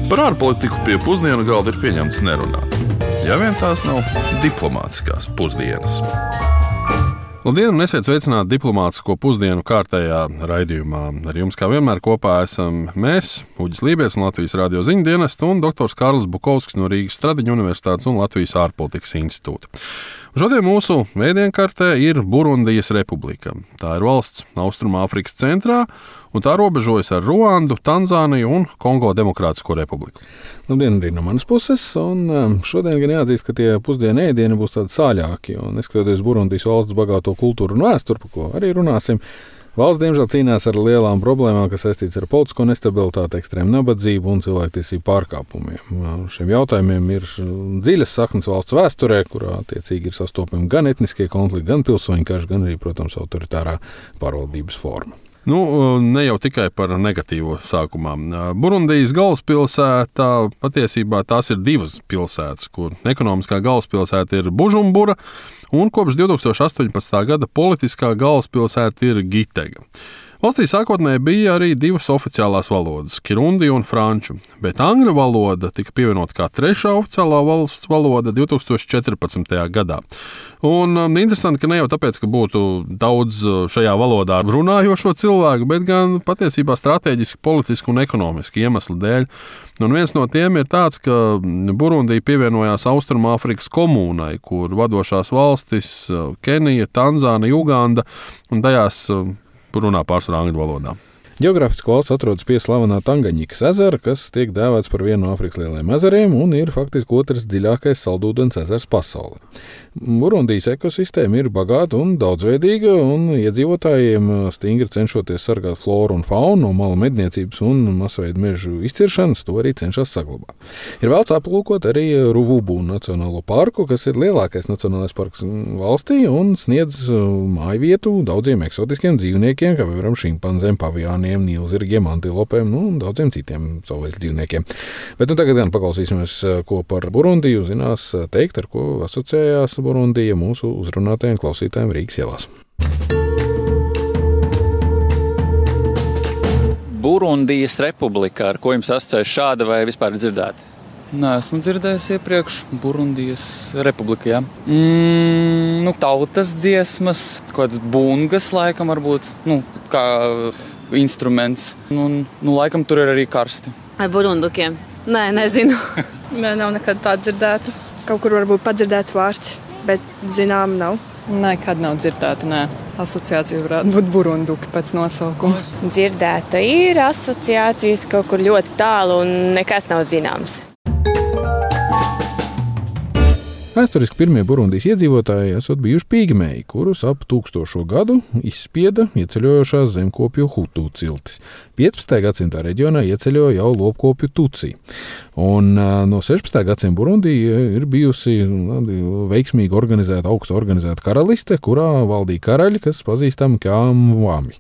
Par ārpolitiku pie pusdienu galda ir pieņemts nerunāt. Ja vien tās nav diplomātiskās pusdienas. Labdien, un esiet sveicināti diplomātisko pusdienu kārtējā raidījumā. Ar jums kā vienmēr kopā esam mēs, Uģis Lībiets no Latvijas radio ziņu dienesta un doktors Kārlis Bukovskis no Rīgas Stradiņu universitātes un Latvijas ārpolitikas institūta. Šodien mūsu vēdienkartē ir Burundijas republika. Tā ir valsts Austrumāfrikas centrā, un tā robežojas ar Ruandu, Tanzāniju un Kongo Demokrātisko republiku. Labdien arī no manas puses, un šodien gan jāatzīst, ka tie pusdienu ēdieni būs tādi sāļāki, un neskatoties Burundijas valsts bagāto kultūru un vēsturi, par ko arī runāsim, valsts diemžēl cīnās ar lielām problēmām, kas saistīts ar politisko nestabilitāti, ekstrēmu nabadzību un cilvēktiesību pārkāpumiem. Šiem jautājumiem ir dziļas saknes valsts vēsturē, kurā attiecīgi ir sastopami gan etniskie konflikti, gan pilsoņu karš, gan arī, protams, autoritārā pārvaldības forma. Ne jau tikai par negatīvo sākumā. Burundijas galvaspilsētā patiesībā tās ir divas pilsētas, kur ekonomiskā galvaspilsēta ir Bužumbura, un kopš 2018. gada politiskā galvaspilsēta ir Gitega. Valstī sākotnēji bija arī divas oficiālās valodas – kirundi un franču, bet angļu valoda tika pievienota kā trešā oficiālā valsts valoda 2014. gadā. Un interesanti, ka ne jau tāpēc, ka būtu daudz šajā valodā runājošo cilvēku, bet gan patiesībā strateģiski, politiski un ekonomiski iemeslu dēļ. Un viens no tiem ir tāds, ka Burundija pievienojās Austrumāfrikas komūnai, kur vadošās valstis Kenija, Tanzānija, Uganda un tajās runā pārsvarā angļu valodā. Ģeogrāfiski valsts atrodas pie slavenā Tangaņikas ezera, kas tiek dēvēts par vienu no Afrikas lielajiem ezeriem un ir faktiski otrs dziļākais saldūdens ezers pasaulē. Burundijas ekosistēma ir bagāta un daudzveidīga, un iedzīvotājiem stingri cenšoties sargāt floru un faunu no malu medniecības un masveidu mežu izciršanas, to arī cenšas saglabāt. Ir vēlts aplūkot arī Ruvubu nacionālo parku, kas ir lielākais nacionālais parks valstī un sniedz mājvietu daudziem eksotiskiem dzīvniekiem, kā piemēram šimpanzēm, pavijāniem, nīlzirgiem, antilopēm un daudziem citiem savvaļas dzīvniekiem. Bet tagad gan paklausīsimies, ko par Burundiju zinās teikt, ar ko asociējās Burundija mūsu uzrunātajiem klausītājiem Rīgas ielās. Burundijas republika, ar ko jums asociējas šāda vai vispār dzirdēta? Nē, esmu dzirdējis iepriekš Burundijas republika, jā. Tautas dziesmas, kādas bungas laikam varbūt, kā instruments. Laikam tur ir arī karsti. Vai burundukiem? Nē, nezinu. Nē, nav nekad tā dzirdēta. Kaut kur varbūt padzirdēts vārds, bet zinām nav. Nekad nav dzirdēta, nē. Asociācija varētu būt burunduki pēc nosaukuma. Dzirdēta ir asociācijas kaut kur ļoti tālu un nekas nav zināms. Vēsturiski pirmie Burundijas iedzīvotāji esot bijuši pigmeji, kurus ap 1000. gadu izspieda ieceļojošās zemkopju Hutu ciltis. 15. gadsimtā reģionā ieceļoja jau lopkopju Tutsi. Un no 16. gadsimta Burundija ir bijusi veiksmīgi organizēta, augsta organizēta karaliste, kurā valdīja karaļi, kas pazīstami kā Mwami.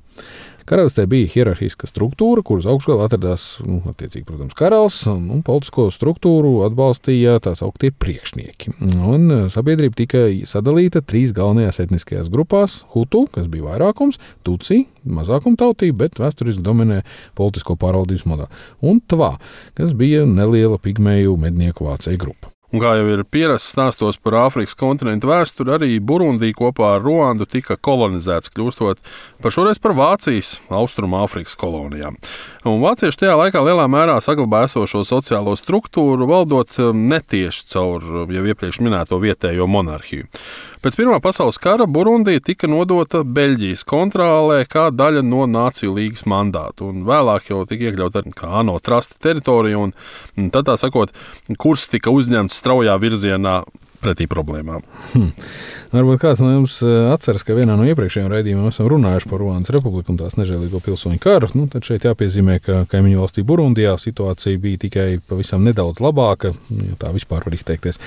Karalistē bija hierarhiska struktūra, kuras augšgalā atradās, attiecīgi, protams, karalis, un politisko struktūru atbalstīja tās augtie priekšnieki. Un sabiedrība tika sadalīta 3 galvenajās etniskajās grupās – Hutu, kas bija vairākums, Tutsi, mazākumtautība, bet vēsturiski dominē politisko pārvaldības modeli, un Tva, kas bija neliela pigmeju mednieku vācēju grupa. Un kā jau ir pierasts stāstos par Āfrikas kontinentu vēsturi, arī Burundija kopā ar Ruandu tika kolonizēts, kļūstot šoreiz par Vācijas Austrumāfrikas kolonijām. Un vācieši tajā laikā lielā mērā saglabāja esošo sociālo struktūru, valdot netieši caur jau iepriekš minēto vietējo monarhiju. Pēc Pirmā pasaules kara Burundija tika nodota Beļģijas kontrolē kā daļa no Nāciju līgas mandātu, un vēlāk jau tika iekļauta kā ANO trasta teritorija, un tad tā sakot, kurs tika uzņemts straujā virzienā pretī problēmām. Varbūt kāds no jums atceras, ka vienā no iepriekšējiem raidījumiem esam runājuši par Ruandas republiku un tās nežēlīgo pilsoņu karu. Tad šeit jāpiezīmē, ka kaimiņu valstī Burundijā situācija bija tikai pavisam nedaudz labāka, ja tā vispār var izteikties.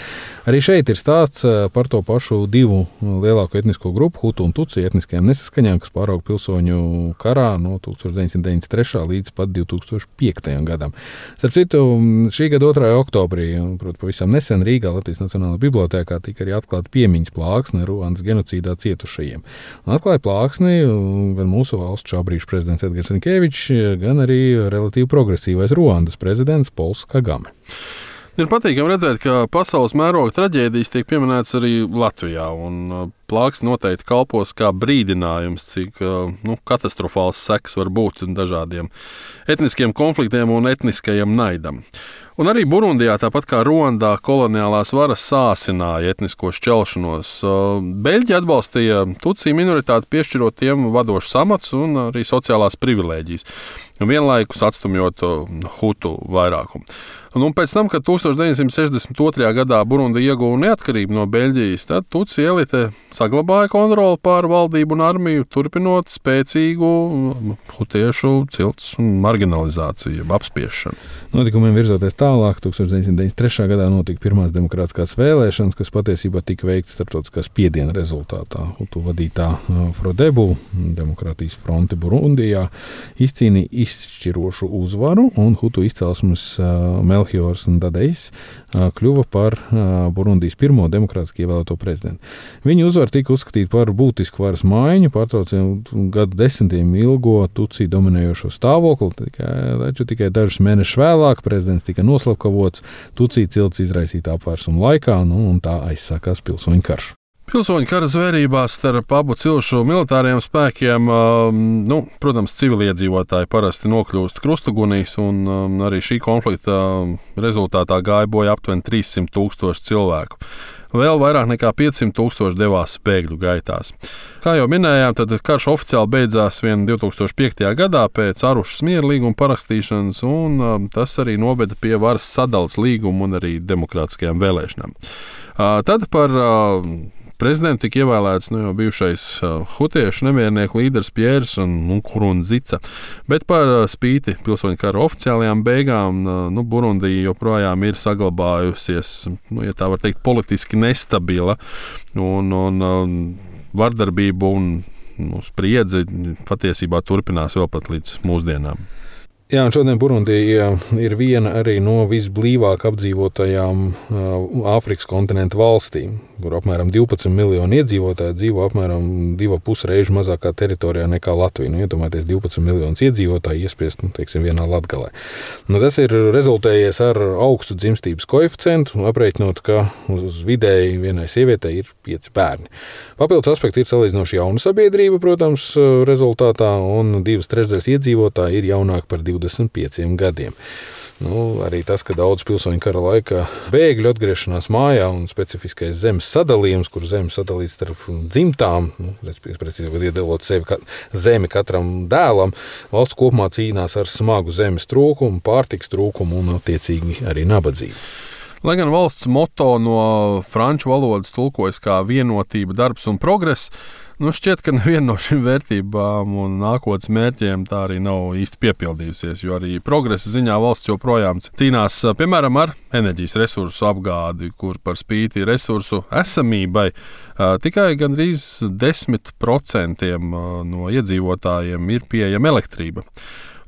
Arī šeit ir stāsts par to pašu divu lielāko etnisko grupu, Hutu un Tutsi etniskajām nesaskaņām, kas pārauga pilsoņu karā no 1993. līdz pat 2005. gadam. Starp citu, šī gada 2. oktobrī, proti pavisam nesen Rīgā Latvijas Nacionālajā bibliotēkā bibliotēkā tika arī atklāta piemiņas plāksne Ruandas genocīdā cietušajiem. Un atklāja plāksni gan mūsu valsts šā brīža prezidents Edgars Rinkēvičs, gan arī relatīvi progresīvais Ruandas prezidents Pols Kagame. Ir patīkami redzēt, ka pasaules mēroga traģēdijas tiek pieminētas arī Latvijā, un plāksne noteikti kalpos kā brīdinājums, cik katastrofāls sekas var būt dažādiem etniskiem konfliktiem un etniskajam naidam. Un arī Burundijā, tāpat kā Ruandā, koloniālās varas sāsināja etnisko šķelšanos. Beļģi atbalstīja Tutsi minoritāti, piešķirot tiem vadošus amats un arī sociālās privilēģijas, vienlaikus atstumjot Hutu vairākumu. Un pēc tam, kad 1962. gadā Burundi ieguva neatkarību no Beļģijas, tad Tutsi elite saglabāja kontroli pār valdību un armiju, turpinot spēcīgu hutiešu cilts marginalizāciju, apspiešanu. Notikumiem virzoties tālāk, 1993. gadā notika pirmās demokrātiskās vēlēšanas, kas patiesībā tika veikts starptautiskā spiediena rezultātā. Hutu vadītā Frodebu, Demokrātijas fronte Burundijā, izcīnīja izšķirošu uzvaru, un Hutu izcelsmes Melchiors Ndadejs kļuva par Burundijas pirmo demokrātiski ievēlēto prezidentu. Viņa uzvara tika uzskatīta par būtisku varas maiņu, pārtraucot gadu desmitiem ilgo Tutsi dominējošo stāvokli, taču tikai dažus mēnešus vēlāk prezidents tika noslapkavots Tutsi cilts izraisītā apvērsuma laikā, un tā aizsākās pilsoņu karš. Pilsoņu kara zvērībās starp abu cilšu militāriem spēkiem, protams, civiliedzīvotāji parasti nokļūst krustugunīs, un arī šī konflikta rezultātā gāja bojā aptuveni 300,000 cilvēku. Vēl vairāk nekā 500,000 devās bēgļu gaitās. Kā jau minējām, tad karš oficiāli beidzās 2005. gadā pēc Arušas miera līguma parakstīšanas, un tas arī noveda pie varas sadalas līguma un arī demokrātiskajām vēlēšanām. Tad par prezidentu tika ievēlēts jau bijušais hutiešu nemiernieku līderis Pjērs Nkurunzica, bet par spīti pilsoņu kara oficiālajām beigām Burundija joprojām ir saglabājusies, ja tā var teikt, politiski nestabila, un vardarbība un spriedze patiesībā turpinās vēl pat līdz mūsdienām. Jā, un šodien Burundija ir viena arī no visblīvāk apdzīvotajām Āfrikas kontinenta valstīm, kur apmēram 12 miljoni iedzīvotāji dzīvo apmēram 2,5 reižu mazākā teritorijā nekā Latvija. Iedomājieties, 12 miljonus iedzīvotāji iespiest, vienā Latgalē. Tas ir rezultējies ar augstu dzimstības koeficientu, aprēķinot, ka uz vidēji vienai sievietei ir 5 bērni. Papildus aspekti ir salīdzinoši jauna sabiedrība, protams, rezultātā, un 2/3 iedzīvotāji ir jaunāki par 25 gadiem. Arī tas, ka daudz pilsoņu kara laikā bēgļu atgriešanās mājā un specifiskais zemes sadalījums, kur zeme sadalīts starp dzimtām, precīzāk iedalot zemi katram dēlam, valsts kopumā cīnās ar smagu zemes trūkumu, pārtikas trūkumu un attiecīgi arī nabadzību. Lai gan valsts moto no franču valodas tulkojas kā vienotība, darbs un progress, šķiet, ka neviena no šīm vērtībām un nākotnes mērķiem tā arī nav īsti piepildījusies, jo arī progresa ziņā valsts joprojām cīnās, piemēram, ar enerģijas resursu apgādi, kur par spīti resursu esamībai tikai gandrīz 10% no iedzīvotājiem ir pieejama elektrība.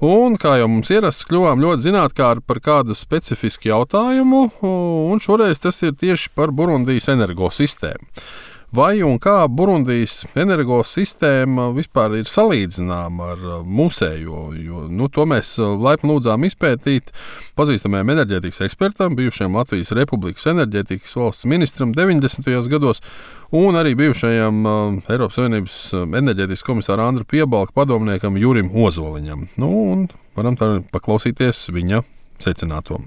Un, kā jau mums ierasts, kļuvām ļoti zinātkāri par kādu specifisku jautājumu, un šoreiz tas ir tieši par Burundijas energosistēmu. Vai un kā Burundijas energosistēma vispār ir salīdzināma ar mūsējo, jo to mēs laipni lūdzām izpētīt pazīstamajam enerģētikas ekspertam, bijušajam Latvijas Republikas enerģētikas valsts ministram 90. gados, un arī bijušajam Eiropas Savienības enerģētikas komisāra Andra Piebalka padomniekam Jurim Ozoliņam. Un varam tā paklausīties viņa secināto.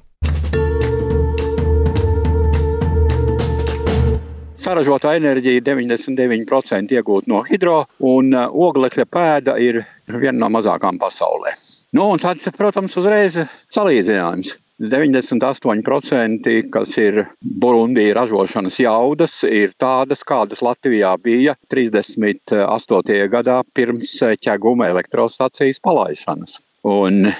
Saražotā enerģija 99% iegūta no hidro, un oglekļa pēda ir viena no mazākām pasaulē. Un tad, protams, uzreiz salīdzinājums. 98%, kas ir Burundija ražošanas jaudas, ir tādas, kādas Latvijā bija 38. gadā pirms ķeguma elektrostacijas palaišanas. Un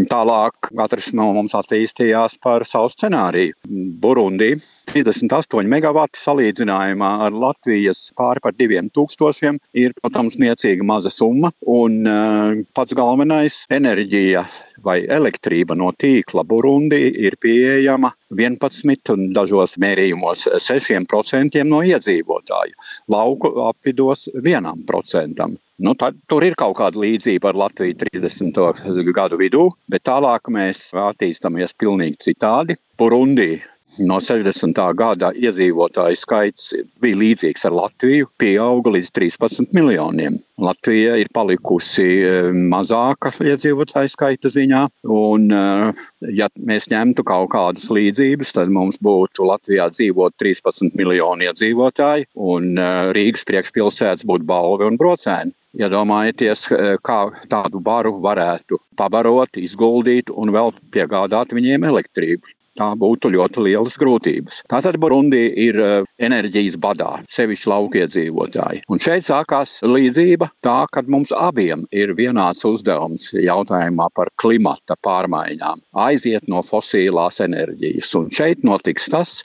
tālāk katrs no mums attīstījās par savu scenāriju. Burundi 38 megavati salīdzinājumā ar Latvijas pāri par 2000 ir, protams, niecīga maza summa. Un pats galvenais - enerģija vai elektrība no tīkla Burundi ir pieejama 11 un dažos mērījumos 6% no iedzīvotāju. Lauku apvidos 1%. Tad tur ir kaut kāda līdzība ar Latviju 30. gadu vidū, bet tālāk mēs attīstāmies pilnīgi citādi. Burundi no 60. gada iedzīvotāju skaits bija līdzīgs ar Latviju, pieauga līdz 13 miljoniem. Latvija ir palikusi mazāka iedzīvotāju skaita ziņā, un ja mēs ņemtu kaut kādus līdzības, tad mums būtu Latvijā dzīvot 13 miljoni iedzīvotāji, un Rīgas priekšpilsētas būtu Balve un Brocēni. Iedomājieties, kā tādu baru varētu pabarot, izguldīt un vēl piegādāt viņiem elektrību. Tā būtu ļoti lielas grūtības. Tātad Burundi ir enerģijas badā, sevišķi laukiedzīvotāji. Un šeit sākās līdzība tā, kad mums abiem ir vienāds uzdevums jautājumā par klimata pārmaiņām. Aiziet no fosīlās enerģijas. Un šeit notiks tas,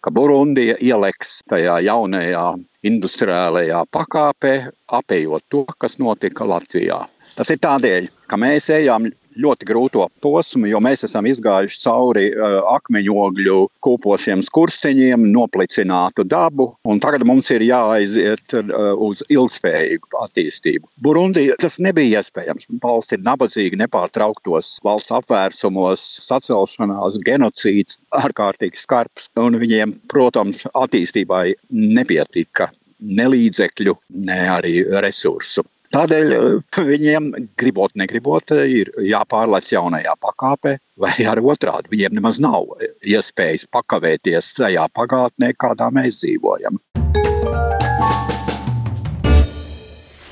ka Burundija ieleks tajā jaunajā industriālajā pakāpē, apējot to, kas notika Latvijā. Tas ir tādēļ, ka mēs ejam ļoti grūto posmu, jo mēs esam izgājuši cauri akmeņogļu kūpošiem skursteņiem, noplicinātu dabu, un tagad mums ir jāaiziet uz ilgspējīgu attīstību. Burundi tas nebija iespējams. Valsts ir nabadzīga nepārtrauktos valsts apvērsumos, sacelšanās, genocīds, ārkārtīgi skarbs, un viņiem, protams, attīstībai nepietika ne līdzekļu, ne arī resursu. Tādēļ viņiem, gribot, negribot, ir jāpārlec jaunajā pakāpē, vai arī otrādi. Viņiem nemaz nav iespējas pakavēties tajā pagātnē, kādā mēs dzīvojam.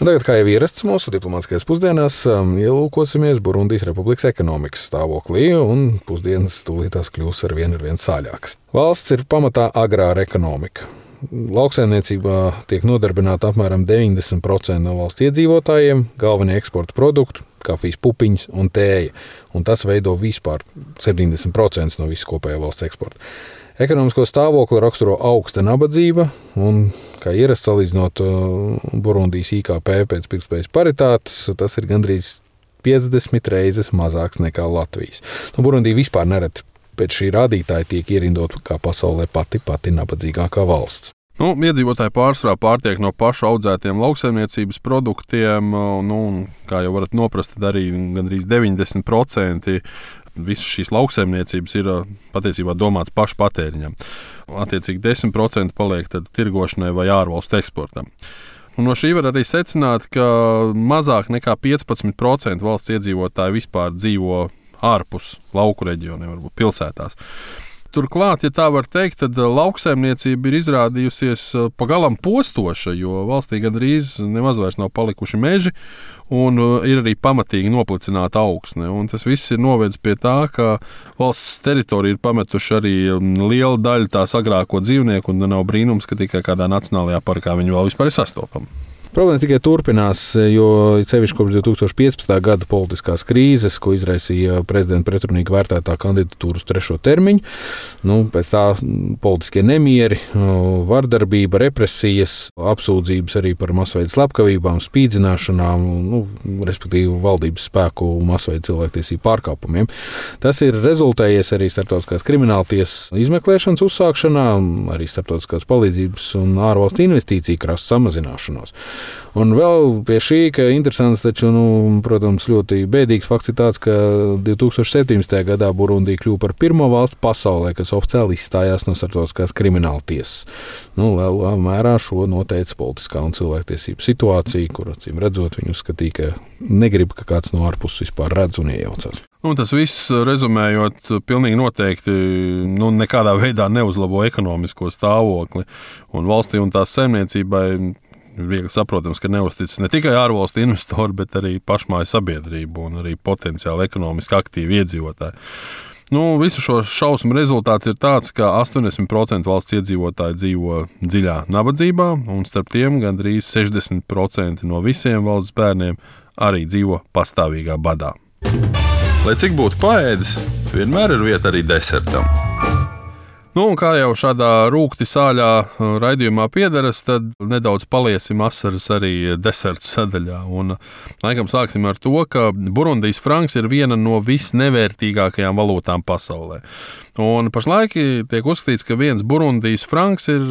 Tagad, kā jau ierasts mūsu diplomātiskajās pusdienās, ielūkosimies Burundijas republikas ekonomikas stāvoklī, un pusdienas tūlītās kļūs ar vien sāļākas. Valsts ir pamatā agrāra ekonomika. Lauksaimniecībā tiek nodarbināta apmēram 90% no valsts iedzīvotājiem, galvenie eksporta produkti – kafijas pupiņas un tēja, un tas veido vispār 70% no visas kopējā valsts eksporta. Ekonomisko stāvokli raksturo augsta nabadzība, un, kā ierasts salīdzinot Burundijas IKP pēc pirktspējas paritātes, tas ir gandrīz 50 reizes mazāks nekā Latvijas. Burundija vispār nereti pēc šī rādītāja tiek ierindot kā pasaulē pati nabadzīgākā valsts. Iedzīvotāji pārsvarā pārtiek no pašu audzētiem lauksaimniecības produktiem, un, kā jau varat noprast, arī gandrīz 90% visas šīs lauksaimniecības ir patiesībā domāts pašu patēriņam. Attiecīgi 10% paliek tad tirgošanai vai ārvalstu eksportam. Un no šī var arī secināt, ka mazāk nekā 15% valsts iedzīvotāji vispār dzīvo ārpus lauku reģioniem, varbūt pilsētās. Turklāt, ja tā var teikt, tad lauksaimniecība ir izrādījusies pagalam postoša, jo valstī gandrīz nemaz vairs nav palikuši meži un ir arī pamatīgi noplicināta augsne. Un tas viss ir novedis pie tā, ka valsts teritorija ir pametuši arī liela daļa tās agrāko dzīvnieku, un nav brīnums, ka tikai kādā nacionālajā parkā viņi vēl vispār ir sastopami. Problēmas tikai turpinās, jo sevišķi kopš 2015. gada politiskās krīzes, ko izraisīja prezidenta pretrunīgi vērtētā kandidatūra uz 3. termiņu. Pēc tā politiskie nemieri, vardarbība, represijas, apsūdzības arī par masveida slepkavībām, spīdzināšanām, respektīvi valdības spēku masveida cilvēktiesību pārkāpumiem. Tas ir rezultējies arī starptautiskās krimināltiesas izmeklēšanas uzsākšanā, arī starptautiskās palīdzības un ārvalstu investīciju krasta samazināšanos. Un vēl pie šī, ka interesants, taču, protams, ļoti bēdīgs fakts ir tāds, ka 2017. gadā Burundija kļuva par pirmo valsti pasaulē, kas oficiāli izstājās no starptautiskās krimināltiesas. Lielā mērā šo noteica politiskā un cilvēktiesību situācija, kur, acīm redzot, viņi uzskatīja, ka negrib, ka kāds no ārpuses vispār redz un iejaucas. Tas viss, rezumējot, pilnīgi noteikti nekādā veidā neuzlabo ekonomisko stāvokli. Un valstī un tās saimniecībai viegli saprotams, ka neuzticas ne tikai ārvalstu investori, bet arī pašmāju sabiedrību un arī potenciāli ekonomiski aktīvi iedzīvotāji. Visu šo šausmu rezultāts ir tāds, ka 80% valsts iedzīvotāji dzīvo dziļā nabadzībā, un starp tiem gandrīz 60% no visiem valsts bērniem arī dzīvo pastāvīgā badā. Lai cik būtu paēdis, vienmēr ir vieta arī desertam. Nu, un kā jau šādā rūkti sāļā raidījumā piederas, tad nedaudz paliesim asaras arī desertu sadaļā. Un, laikam sāksim ar to, ka Burundijas franks ir viena no visnevērtīgākajām valūtām pasaulē. Un pašlaik tiek uzskatīts, ka viens Burundijas franks ir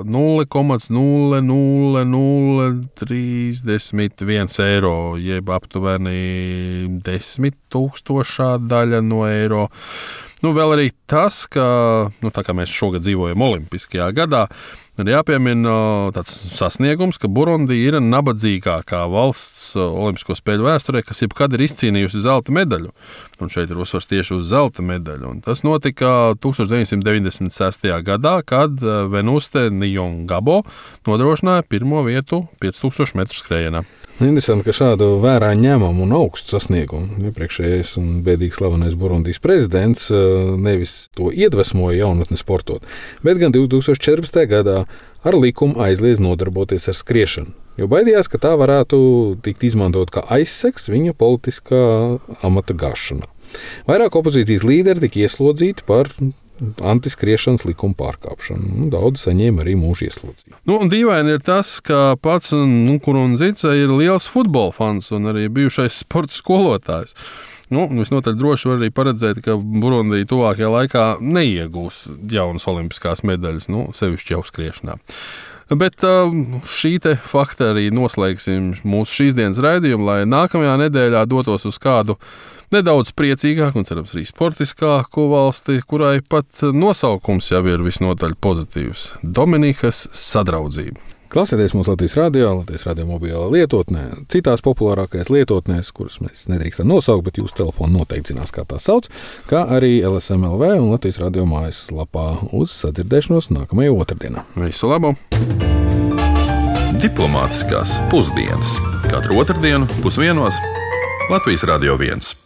0,00031 eiro, jeb aptuveni 10,000 daļa no eiro. Nu, vēl arī tas, ka, tā kā mēs šogad dzīvojam Olimpiskajā gadā, ir jāpiemina tāds sasniegums, ka Burundija ir nabadzīgākā valsts Olimpisko spēļu vēsturē, kas jebkad ir izcīnījusi zelta medaļu. Un šeit ir uzsvars tieši uz zelta medaļu. Un tas notika 1996. gadā, kad Venuste Niyongabo nodrošināja pirmo vietu 5000 metru skrējienā. Interesanti, ka šādu vērā ņemamu un augstu sasniegumu iepriekšējais un bēdīgi slavenais Burundijas prezidents nevis to iedvesmoja jaunatni sportot, bet gan 2014. gadā ar likumu aizliedz nodarboties ar skriešanu, jo baidījās, ka tā varētu tikt izmantot kā aizsegs viņa politiskā amata gāšanā. Vairāk opozīcijas līderi tika ieslodzīti par antiskriešanas likuma pārkāpšanu. Daudz saņēma arī mūža ieslodzījumu. Un dīvaini ir tas, ka pats Nkurunzica ir liels futbola fans un arī bijušais sporta skolotājs. Visnotaļ droši var arī paredzēt, ka Burundija tuvākajā laikā neiegūs jaunas olimpiskās medaļas, sevišķi jau skriešanā. Bet šī te fakta arī noslēgsim mūsu šīs dienas raidījumu, lai nākamajā nedēļā dotos uz kādu nedaudz priecīgāku un, cerams, arī sportiskāku valsti, kurai pat nosaukums jau ir visnotaļ pozitīvs – Dominikas Sadraudzība. Klausieties mūsu Latvijas radio mobilā lietotnē, citās populārākajās lietotnēs, kuras mēs nedrīkstam nosaukt, bet jūsu telefonu noteikti zinās, kā tās sauc, kā arī LSM.LV un Latvijas radio mājaslapā. Uz sadzirdēšanos nākamajā otrdienā. Visu labu! Diplomātiskās pusdienas. Katru otrdienu 12:00 Latvijas Radio 1.